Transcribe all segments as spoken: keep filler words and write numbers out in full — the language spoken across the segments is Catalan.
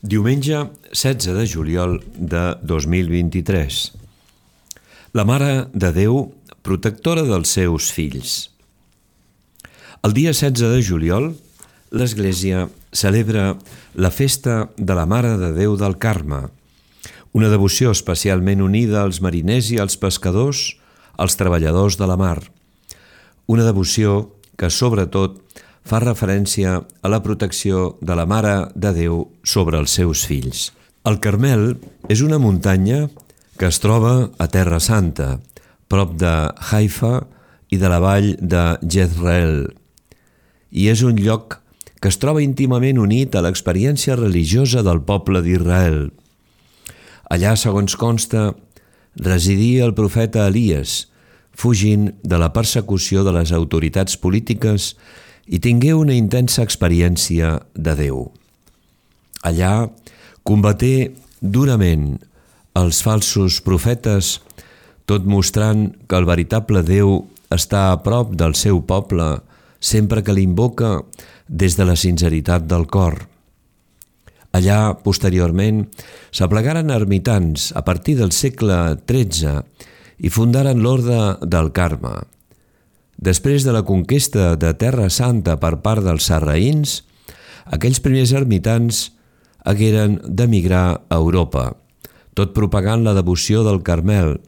Diumenge setze de juliol de dos mil vint-i-tres. La Mare de Déu, protectora dels seus fills. El dia setze de juliol, l'Església celebra la festa de la Mare de Déu del Carme, una devoció especialment unida als mariners i als pescadors, als treballadors de la mar. Una devoció que, sobretot, fa referència a la protecció de la Mare de Déu sobre els seus fills. El Carmel és una muntanya que es troba a Terra Santa, prop de Haifa i de la vall de Jezreel, i és un lloc que es troba íntimament unit a l'experiència religiosa del poble d'Israel. Allà, segons consta, residia el profeta Elies, fugint de la persecució de les autoritats polítiques i tingué una intensa experiència de Déu. Allà combaté durament els falsos profetes, tot mostrant que el veritable Déu està a prop del seu poble sempre que l'invoca des de la sinceritat del cor. Allà, posteriorment, s'aplegaren ermitans a partir del segle tretze i fundaren l'Orde del Carme. Després de la conquesta de Terra Santa per part dels sarraïns, aquells primers ermitans hagueren d'emigrar a Europa, tot propagant la devoció del Carmel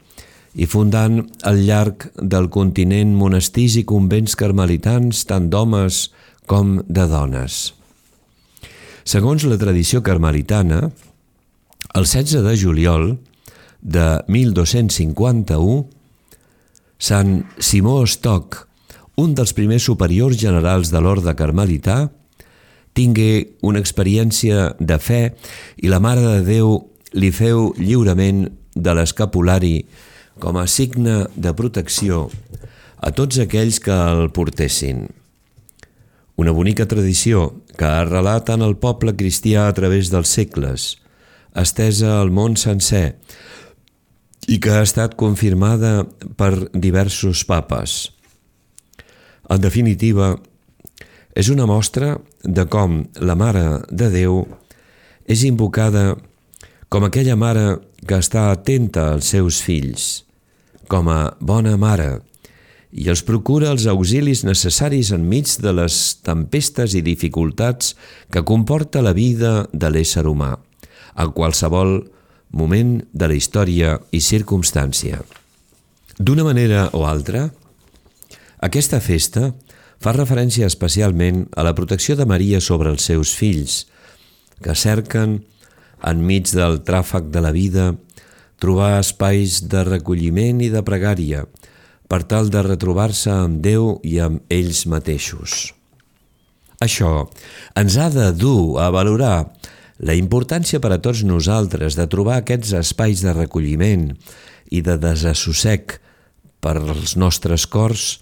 i fundant al llarg del continent monestirs i convents carmelitans tant d'homes com de dones. Segons la tradició carmelitana, el setze de juliol de mil dos-cents cinquanta-u, Sant Simó Stock, un dels primers superiors generals de l'orde carmelità, tingué una experiència de fe i la Mare de Déu li feu lliurament de l'escapulari com a signe de protecció a tots aquells que el portessin. Una bonica tradició que ha arrelat en el poble cristià a través dels segles, estesa al món sencer, i que ha estat confirmada per diversos papes. En definitiva, és una mostra de com la Mare de Déu és invocada com aquella mare que està atenta als seus fills, com a bona mare, i els procura els auxilis necessaris enmig de les tempestes i dificultats que comporta la vida de l'ésser humà, en qualsevol moment de la història i circumstància. D'una manera o altra, aquesta festa fa referència especialment a la protecció de Maria sobre els seus fills, que cerquen, enmig del tràfic de la vida, trobar espais de recolliment i de pregària per tal de retrobar-se amb Déu i amb ells mateixos. Això ens ha de dur a valorar la importància per a tots nosaltres de trobar aquests espais de recolliment i de desassossec per als nostres cors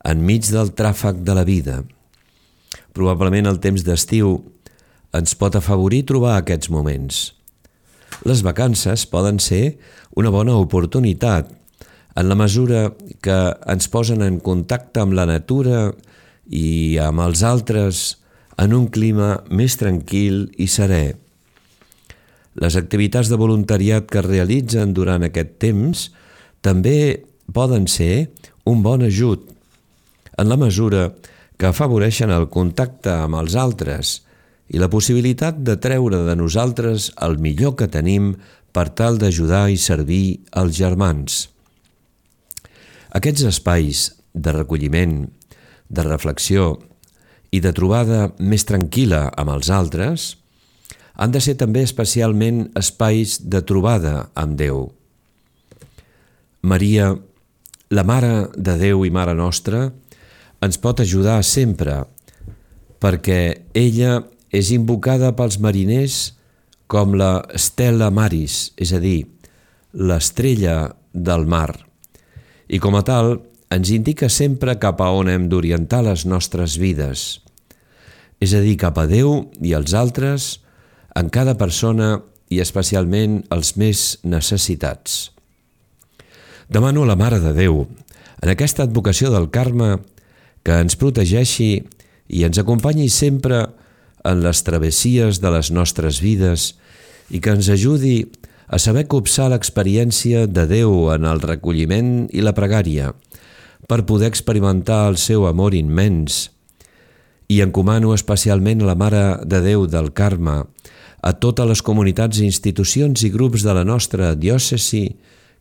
enmig del tràfic de la vida. Probablement el temps d'estiu ens pot afavorir trobar aquests moments. Les vacances poden ser una bona oportunitat en la mesura que ens posen en contacte amb la natura i amb els altres en un clima més tranquil i serè. Les activitats de voluntariat que es realitzen durant aquest temps també poden ser un bon ajut, en la mesura que afavoreixen el contacte amb els altres i la possibilitat de treure de nosaltres el millor que tenim per tal d'ajudar i servir els germans. Aquests espais de recolliment, de reflexió i de trobada més tranquil·la amb els altres han de ser també especialment espais de trobada amb Déu. Maria, la Mare de Déu i Mare Nostra, ens pot ajudar sempre, perquè ella és invocada pels mariners com la Stella Maris, és a dir, l'estrella del mar, i com a tal ens indica sempre cap a on hem d'orientar les nostres vides, és a dir, cap a Déu i als altres, en cada persona i especialment els més necessitats. Demano a la Mare de Déu, en aquesta advocació del Carme, que ens protegeixi i ens acompanyi sempre en les travessies de les nostres vides i que ens ajudi a saber copsar l'experiència de Déu en el recolliment i la pregària per poder experimentar el seu amor immens. I encomano especialment a la Mare de Déu del Carme, a totes les comunitats, institucions i grups de la nostra diòcesi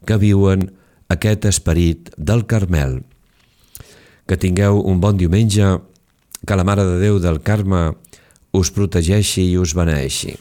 que viuen aquest esperit del Carmel. Que tingueu un bon diumenge, que la Mare de Déu del Carme us protegeixi i us beneeixi.